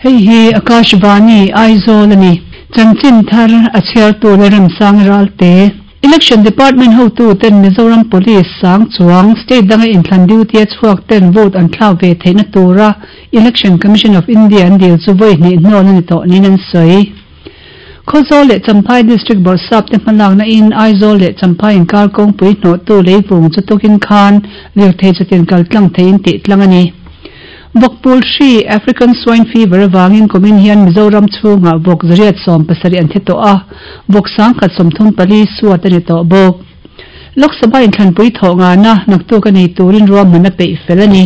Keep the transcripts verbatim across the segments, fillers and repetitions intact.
Hei hi Akashvani Aizawl a ni. Chanchin thar a chhiartu Lalremsang Ralte. Election Department hotu ten Mizoram Police sang chuang state danga inthlan duty a chhuak ten vote an thlak ve theihna tura Election Commission of India an dil chu vawi hnih hnawn a ni tawh niin an sawi. Khawzawl leh Champhai District Bawrhsap te hmalakna in Aizawl leh Champhai inkar kawngpui hnawhtu leivung chu tukin khan lirthei chutin kal tlang theiin tih tlang a ni. Vawkpul hri, African Swine Fever, avangin kumin hian Mizoram chhungah vawk zariat sawm pasarih an thi tawh a, vawk sangkhat sawmthum pali suat a ni tawh bawk. Lok Sabha inthlanpui thawh ngana naktuk a nei turin ruahman a peih fel a ni.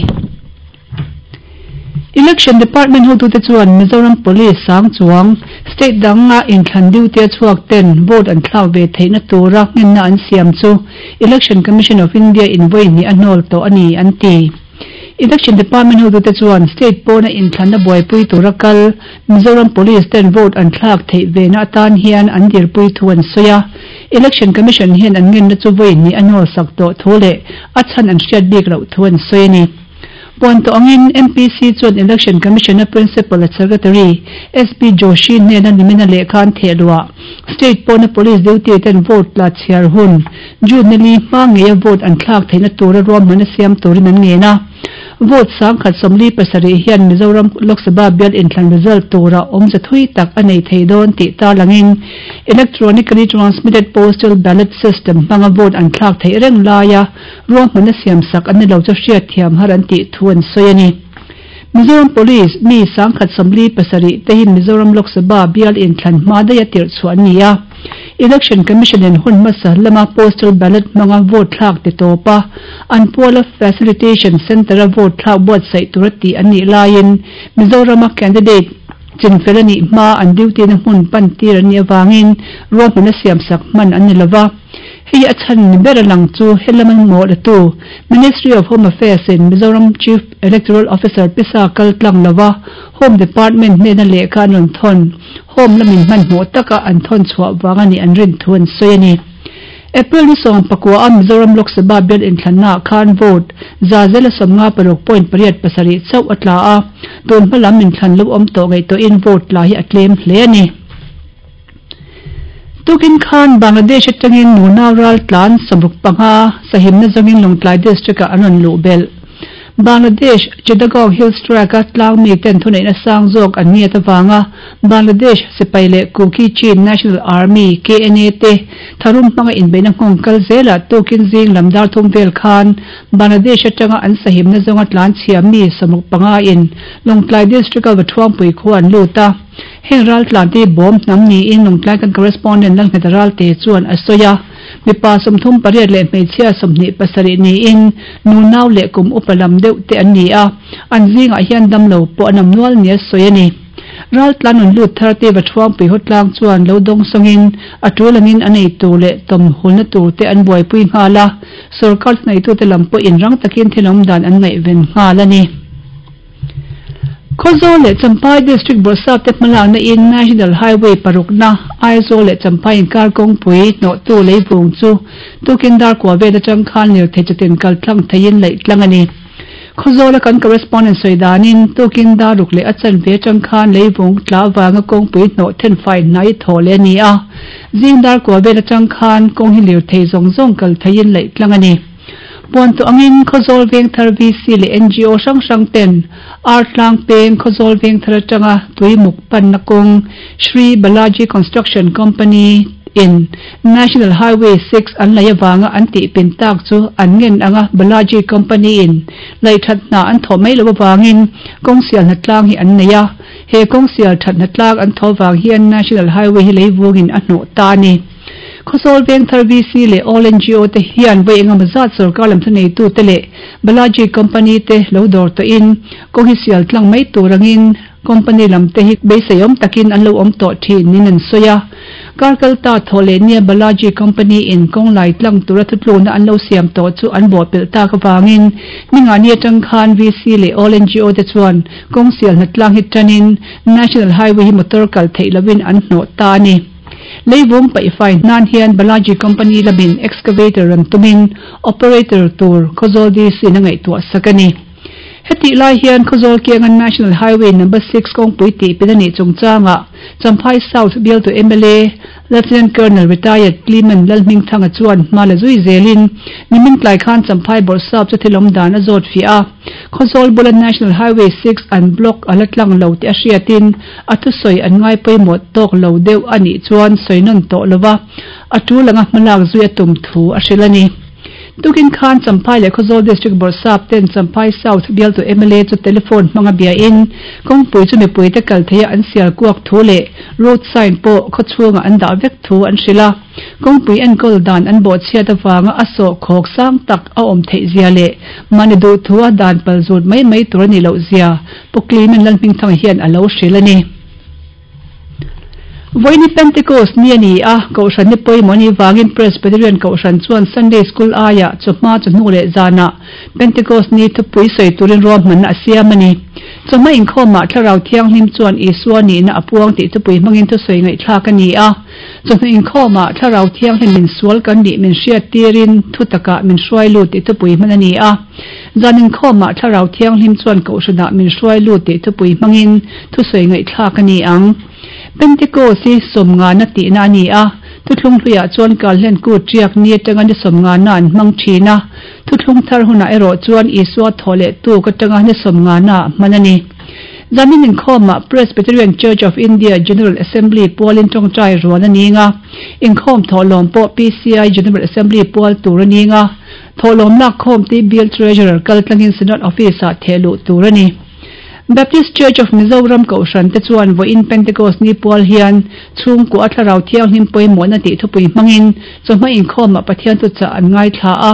Election Department hotute chuan Mizoram Police sang chuang state danga inthlan duty a chhuak ten vote an thlak ve theihna tura ngenna an siam chu Election Commission of India in vawi hnih a hnawl tawh a ni an ti. Election Department hotute chuan state pawna inthlanna buaipui tura kal Mizoram Police ten vote an thlak theih vena atan hian an dirpui thu an sawi a. Election Commission hian an ngenna chu vawi hnih a hnawl sak tawh thu leh a chhan an hriat bik loh thu an sawi a ni. Puan tawh angin M P C chuan Election Commission a Principal at Secretary S P Joshi hnena nimina lehkha an theh luah state pawna police duty ten vote la chhiar hun June ni li hma ngeia vote an thlak theihna tura ruahman a siam turin an ngen a. Vote sangkhat sawmli pasarih hian Mizoram Lok Sabha bial inthlan result tura awmze thui tak a nei thei dawn tih tarlangin electronically transmitted postal ballot system hmanga vote an thlak theih reng laia ruahman a siam sak an ni lo chu hriat thiam har an tih thu an sawi a ni. Mizoram Police mi sangkhat sawmli pasarih te hi Mizoram Lok Sabha bial inthlan hma daih a tirh chhuah an ni a. Election Commission in hun hmasa lama postal ballot hmanga vote thlak ti tawp a, an puala facilitation centre a vote thlak buatsaih tur a tih an nih laiin Mizorama candidate chinfel a nih hma an duty na hmun pan tir an nih avangin ruahman a siam sak hman an ni lova. Hei a chhan ni ber a lang chu helam an mawh la tu Ministry of Home Affairs in Mizoram Chief Electoral Officer pisa kal tlang lova Home Department hnena lehkha an rawn thawn Home lamin hmanhmawh taka an thawn chhuah vang a nih an rin thu an sawi a ni. April ni sawm pakua a Mizoram Lok Sabha bial inthlannaah khan vote za zela sawmnga paruk point pariat pasarih chauh a tla a, tun hma lam inthlan lo awm tawh ngaihtuahin vote tla hi a tlem hle a ni. Tukin khan Bangladesh atangin nunau ral tlan sawmruk panga sahimna zawngin Lawngtlai District-ah an rawn luh belh. Bangladesh Chittagong Hills Tract-a tlang miten thuneihna sang zawk an ngiat avanga Bangladesh sipai leh Kuki Chin National Army, K N A, te tharum hmanga inbeihna nghawng kal zelah tukin zing lam dar thum vel khan Bangladesh atanga an sahimna zawnga tlan chhia mi sawmruk panga in Lawngtlai District-a Vathuangpui khua an lut a. Heng ral tlan te bawm hnam niin Lawngtlai kan correspondent Lalnghet Ralte chuan a sawi a. Mipa sawmthum pariat leh hmeichhia sawmhnih pasarih niin nunau leh kum upa lam deuh te an ni a, an zingah hian damlo pawh an awm nual nia sawi a ni. Ral tlan rawn lut thar te Vathuangpui hawtlang chuan lo dawng sawngin a tul angin a nei tur leh tawm hulna tur te an buaipui nghal a, sorkar thuneitute lam pawhin rang takin thil awm dan an ngaihven nghal a ni. Khawzawl leh Champhai District Bawrhsap te hmalakna in National Highway parukna Aizawl leh Champhai inkar kawngpui hnawhtu leivung chu tukin dar kua vel atang khan lirthei chutin kal tlang theiin laih tlang a ni. Khawzawla kan correspondent sawi danin tukin dar ruk leh a chanve atang khan leivung tla avanga kawngpui hnawh thenfai hnai thaw leh a ni a. Zing dar kua vel atang khan kawng hi lirthei zawng zawng kal theiin laih tlang a ni. Puan tawh angin Khawzawl Vengthar V C leh N G O hrang hrang ten Artlang peng Khawzawl Vengthar atanga tuimuk panna kawng Shri Balaji Construction Company in National Highway six an laih avanga an tih pin tak chu an ngen anga Balaji Company in laih that hna an thawh mai loh avangin kawng sial hna tlang hi an nei a. He kawng sial that hna tlang an thawh avang hian National Highway hi leivungin a hnawh ta a ni. Khawzawl Vengthar V C leh All N G O te hian vawi engemaw zat sorkar lam thuneitu te leh Balaji Company te lo dawr tawhin kawng hi sial tlang mai tur angin company lam te hi beisei awm takin an lo awm tawh thin niin an sawi a. Kar kal ta thaw leh nia Balaji Company in kawng lai tlang tura thutlukna an lo siam tawh chu an bawhpelh tak avangin ningani atang khan V C leh All N G O te chuan kawng sial hna tlang hi tanin National Highway hi motor kal theih lovin an hnawh ta a ni. Leivung paihfai hnan hian Balaji Company lamin excavator rawn tumin operator tur Khawzawl D C in a ngaihtuah sak a ni. Hetih lai hian Khawzawl kianga National Highway Number six kawngpui tihpin a nih chungchangah Champhai South bialtu mla Lieutenant Colonel Retired Clement Lalhmingthanga chuan hma la zui zelin nimin tlai khan Champhai Bawrhsap chu thil awm dan a zawt fiah a. Khawzawl bula National Highway six an block a la tlang lo tih a hriatin a thusawi an ngai pawimawh tawk lo deuh a nih chuan sawi nawn tawh lova a tul anga hmalak zui a tum thu a hrilh a ni. Tukin khan Champhai leh Khawzawl District Bawrhsap ten Champhai South bialtu mla chu telephone hmanga biain kawngpui chu mipuite kal theia an sial kuak thu leh road sign pawh khawchhungah an dah vek thu an hrilh a. Kawngpui enkawl dan an bawhchhiat avanga a sawhkhawk sang tak a awm theih zia leh mahni duh thu a dan pal zut mai mai tur a nih loh zia Pu Clement Lalhmingthanga hian a lo hrilh a ni. Vawiini Pentecost ni a ni a, Kohhran ni pawimawh a nih vangin Presbyterian Kohhran chuan Sunday School aiah chawhma chawhnu leh zanah Pentecost ni thupui sawi turin ruahmanna a siam a ni. Chawhma inkhawmah Thlarau Thianghlim chuan Isua nihna a puang tih thupui hmangin thusawi ngaihthlak a ni a. Chawhnu inkhawmah Thlarau Thianghlim min sual kan nih min hriat tirin thu takah min hruai lut tih thupui hman a ni a. Zan inkhawmah Thlarau Thianghlim chuan Kohhranah min hruai lut tih thupui hmangin thusawi ngaihthlak a ni ang. Pentecost hi sawmngana tihna a ni a, thuthlung hluiah chuan Kalhlen kut riak ni atanga ni sawmngana an hmang thin a, thuthlung thar hunah erawh chuan Isua thaw leh tuk atanga ni sawmngana hman a ni. Zanin inkhawmah Presbyterian Church of India General Assembly pualin tawngtai rual a ning a, inkhawm thawhlawm pawh PCI General Assembly pual tur a ning a, thawhlawm lakkhawm tih Bill Treasurer kaltlangin Synod Office-ah thehluh tur a ni. Baptist Church of Mizoram Kohhran te chuan vawiin Pentecost ni pual hian chhungkua a Thlarau Thianghlim pawimawhna tih thupui hmangin chawhma inkhawmah Pathian thuchah an ngaithla a.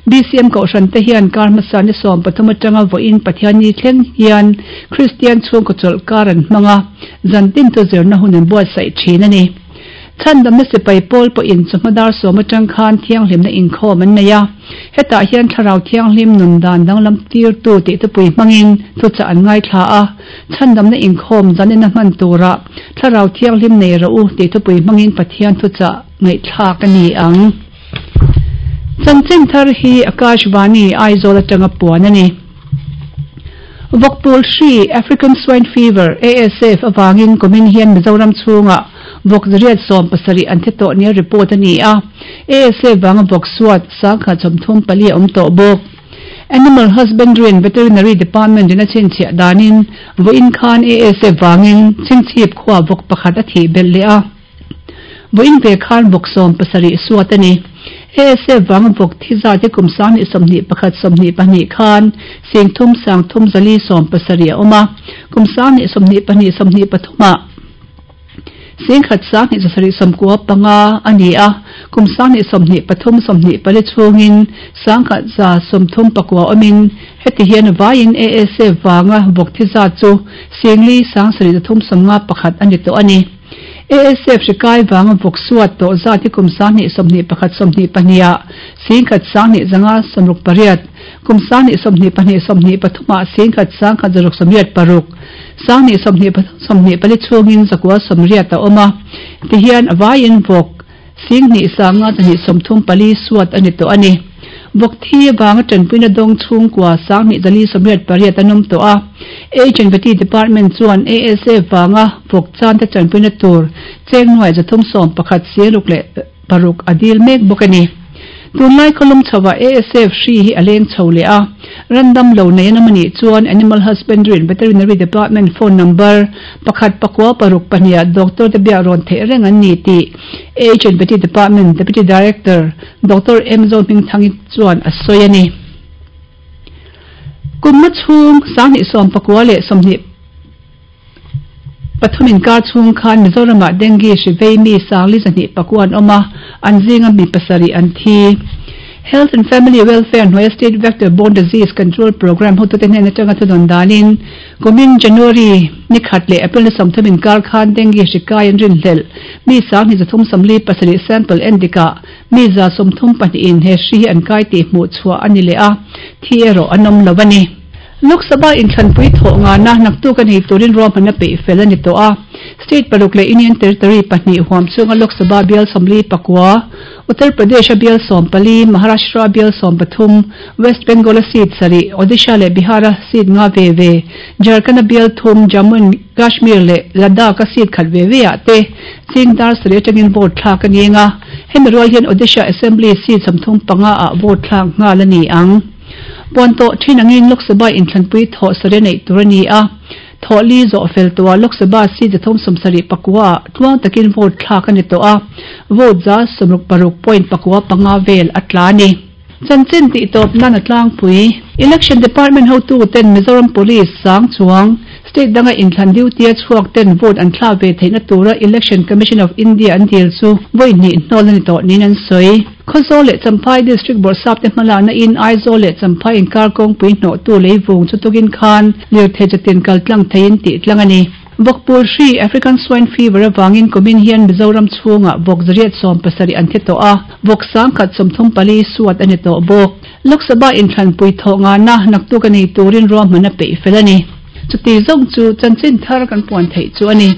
BCM Kohhran te hian kar hmasa ni sawm pathum atanga vawiin Pathian ni thleng hian Kristian chhungkaw chawlh kar an hmang a, zantin chu zirna hun an buatsaih thin a ni. Chhandamna sipai pawl pawhin chawhma dar sawm atang khan thianghlimna inkhawm an nei a, hetah hian Thlarau Thianghlim nun dan danglam tirtu tih thupui hmangin thuchah an ngaithla a, chhandamna inkhawm zanina hman turah Thlarau Thianghlim nei rawh u tih thupui hmangin Pathian thuchah ngaihthlak a ni ang. Chanchin thar hi Akashvani, Aizawl atanga puan a ni. Vawkpul hri, African Swine Fever, ASF, avangin kumin hian Mizoram chhungah vawk zariat sawm pasarih an thi tawh nia report a ni a. ASF vanga vawk suat sangkhat sawmthum pali a awm tawh bawk. Animal Husbandry and Veterinary Department in a chhinchhiah danin vawiin khan ASF vangin chhingchhip khua vawk pakhat a thih belh leh a. Vawiin ve khan vawk sawm pasarih suat a ni. ASF vanga vawk thi zat hi kum sanghnih sawmhnih pakhat sawmhnih pahnih khan singthum sangthum zali sawm pasarih a awm a. Kum sanghnih sawmhnih pahnih sawmhnih pathumah singkhat sanghnih zasarih sawmkua panga a ni a. Kum sanghnih sawmhnih pathum sawmhnih pali chhungin sangkhat za sawmthum pakua awmin heti hian vaiin ASF vanga vawk thi zat chu singli sangsarih zathum sawmnga pakhat a ni tawh a ni. ASF hrikai vanga vawk suat tawh zat hi kum sanghnih sawmhnih pakhat sawmhnih pahnih singkhat sanghnih zanga sawmruk pariat kum sanghnih sawmhnih pahnih sawmhnih pathumah singkhat sangkhat zaruk sawmriat paruk sanghnih sawmhnih pathum sawmhnih pali chhungin zakua sawmriat a awm a tihian a vaiin vawk singhnih sanga zahnih sawmthum pali suat a ni tawh a ni. Vawk thi vanga tanpuina dawng chhungkua sanghnih zali sawmriat pariat an awm tawh a. H and Vety Department chuan ASF vanga vawk chan te tanpuina tur cheng nuai zathum sawm pakhat siruk leh paruk a dil mek bawk a ni. Tunlai khawlum chhoah ASF hri hi a leng chho leh a. Randam lo nei an awm a nih chuan Animal Husbandry and Veterinary Department phone number pakhat pakua paruk pahnih doctor te biak rawn theih reng an ni tih H and Vety Department Deputy Director Doctor M Zohmingthangi chuan a sawi a ni. Kumma chhung sanghnih sawm pakua leh sawmhnih pathum inkar chhung khan Mizoramah dengue hri vei mi sangli zahnih pakua an awm a, an zinga mi pasarih an thi. Health and Family Welfare hnuaia State Vector Borne Disease Control Programme hotute hnen atanga thudawn danin kumin January ni khat leh April ni sawmthum inkar khan dengue hri kai an rinhlelh mi sanghnih zathum sawmli pasarih sample endikah mi za sawmthum pahnihin he hri hi an kai tih hmuh chhuah a ni leh a, thi erawh an awm lo a ni. Lok Sabha inthlanpui thawh ngana naktuk a nei turin ruahmanna peih fel a ni tawh a. State paruk leh Union Territory pahnih huam chhunga Lok Sabha bial sawmli pakua, Uttar Pradesh-a bial sawm pali, Maharashtra-a bial sawm pathum, West Bengal-a seat sarih, Odisha leh Bihar-a seat nga ve ve, Jharkhand-a bial thum, Jammu and Kashmir leh Ladakh-a seat khat ve ve ah te zing dar sarih atangin vote thlak a ni ang a, hemi rual hian Odisha Assembly seat sawmthum panga ah vote thlak nghal a ni ang. Puan tawh thin angin Lok Sabha inthlanpui thawh sarih a neih tur a ni a. Thawh li zawh fel tawhah Lok Sabha seat zathum sawmsarih pakua ah tluang takin vote thlak a ni tawh a, vote za sawmruk paruk point pakua panga vel a tla a ni. Chanchin tih tawp nan a tlangpui. Election Department hotu ten Mizoram Police sang chuang state danga inthlan duty a chhuak ten vote an thlak ve theihna tura Election Commission of India an dil chu vawi hnih hnawl a ni tawh niin an sawi. Khawzawl leh Champhai District Bawrhsap te hmalakna in Aizawl leh Champhai inkar kawngpui hnawhtu leivung chu tukin khan lirthei chatin kal tlang theiin tih tlang a ni. Vawkpul hri, African Swine Fever, avangin kumin hian Mizoram chhungah vawk zariat sawm pasarih an thi tawh a, vawk sangkhat sawmthum pali suat a ni tawh bawk. Lok Sabha inthlanpui thawh ngana naktuk a nei turin ruahman a peih fel a ni. Chuti zawng chu chanchin thar kan puan theih chu a ni.